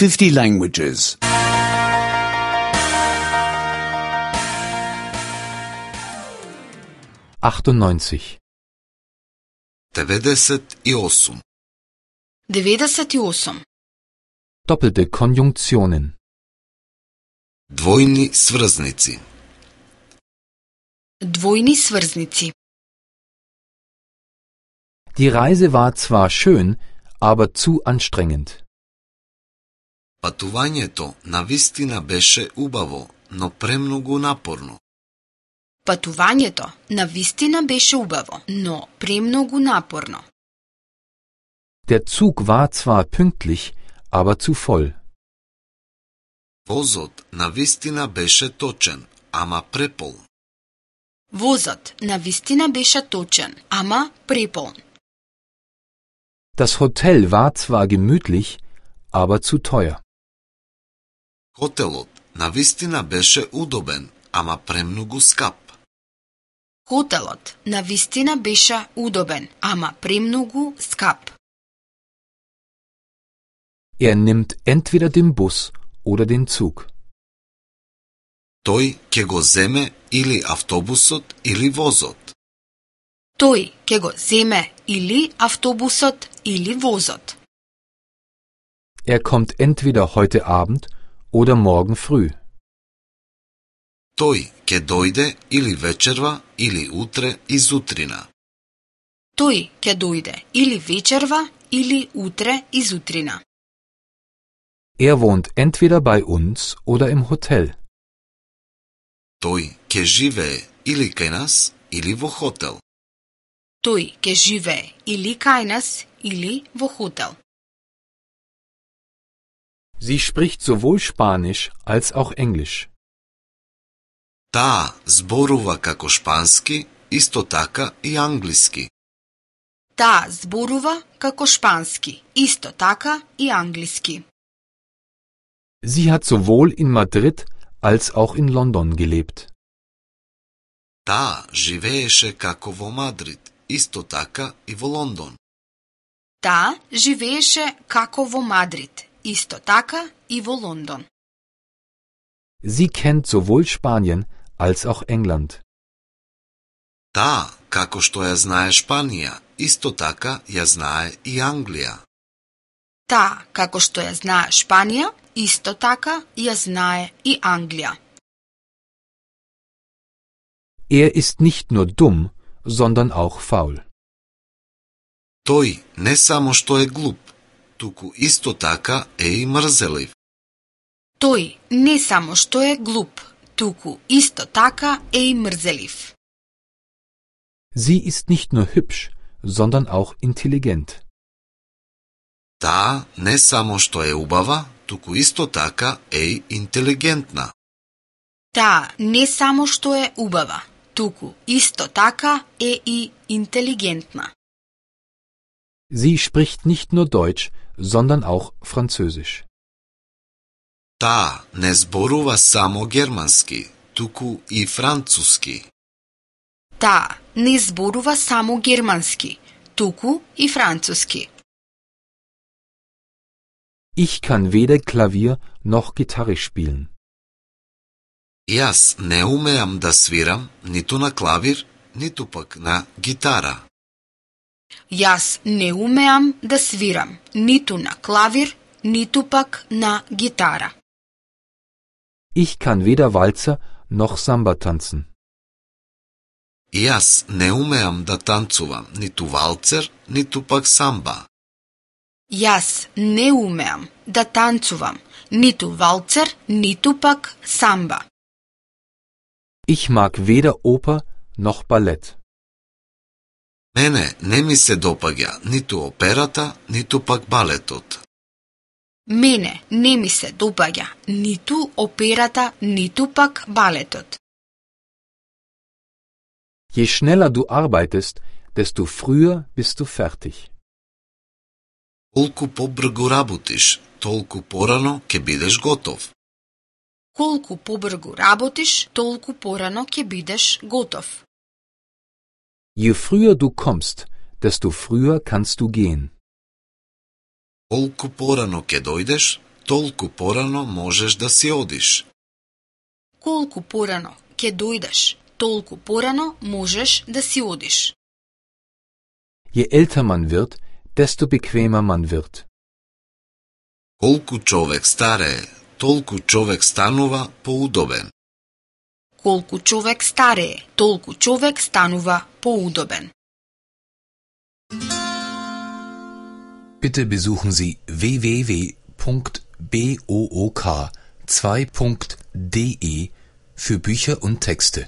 50 languages. 98. 98. 98. Doppelte Konjunktionen. Двојни сврзници. Двојни сврзници. Die Reise war zwar schön, aber zu anstrengend. Патувањето навистина беше убаво, но премногу напорно. Патувањето навистина беше убаво, но премногу напорно. Der Zug war zwar pünktlich, aber zu voll. Возот навистина беше точен, ама преполн. Возот навистина беше точен, ама преполн. Das Hotel war zwar gemütlich, aber zu teuer. Хотелот навистина беше удобен, ама премногу скап. Хотелот навистина беше удобен, ама премногу скап. Er nimmt entweder den Bus oder den Zug. Тој ќе го земе или автобусот или возот. Тој ќе го земе или автобусот или возот. Er kommt entweder heute Abend oder morgen früh. Тој ќе дојде или вечерва или утре изутрина. Тој ќе дојде или вечерва или утре изутрина. Er wohnt entweder bei uns oder im Hotel. Тој ќе живее или кај нас или во хотел. Тој ќе живее или кај нас или во хотел. Sie spricht sowohl Spanisch als auch Englisch. Таа зборува како шпански, исто така и англиски. Таа зборува како шпански, исто така и англиски. Sie hat sowohl in Madrid als auch in London gelebt. Таа живееше како во Мадрид, исто така и во Лондон. Таа живееше како во Мадрид, исто така и во Лондон. Sie kennt sowohl Spanien als auch England. Таа, како што ја знае Шпанија, исто така ја знае и Англија. Таа, како што ја знае Шпанија, исто така ја знае и Англија. Er ist nicht nur dumm, sondern auch faul. Тој не само што е глуп, туку исто така е и мрзелив. Тој не само што е глуп, туку исто така е и мрзелив. Sie ist nicht nur hübsch, sondern auch intelligent. Таа не само што е убава, туку исто така е и интелигентна. Таа не само што е убава, туку исто така е и интелигентна. Sie spricht nicht nur Deutsch, sondern auch Französisch. Таа не зборува само германски, туку и француски. Таа не зборува само германски, туку и француски. Ich kann weder Klavier noch Gitarre spielen. Јас не умеам да свирам ниту на клавир, ниту пак на гитара. Јас не умеам да свирам ниту на клавир, ниту пак на гитара. Ich kann weder Walzer noch Samba tanzen. Јас не умеам да танцувам ниту валцер, ниту пак самба. Јас не умеам да танцувам ниту валцер, ниту пак самба. Ich mag weder Oper noch Ballett. Мене не ми се допаѓа ниту операта, ниту пак балетот. Мене не ми се допаѓа ниту операта, ниту пак балетот. Je schneller du arbeitest, desto früher bist du fertig. Колку побрзо работиш, толку порано ќе бидеш готов. Колку побрзо работиш, толку порано ќе бидеш готов. Je früher du kommst, desto früher kannst du gehen. Колку порано ќе дојдеш, толку порано можеш да си одиш. Колку порано ќе дојдеш, толку порано можеш да си одиш. Je älter man wird, desto bequemer man wird. Колку човек старее, толку човек станува поудобен. Колку човек старее, толку човек станува поудобен. Bitte besuchen Sie www.book2.de für Bücher und Texte.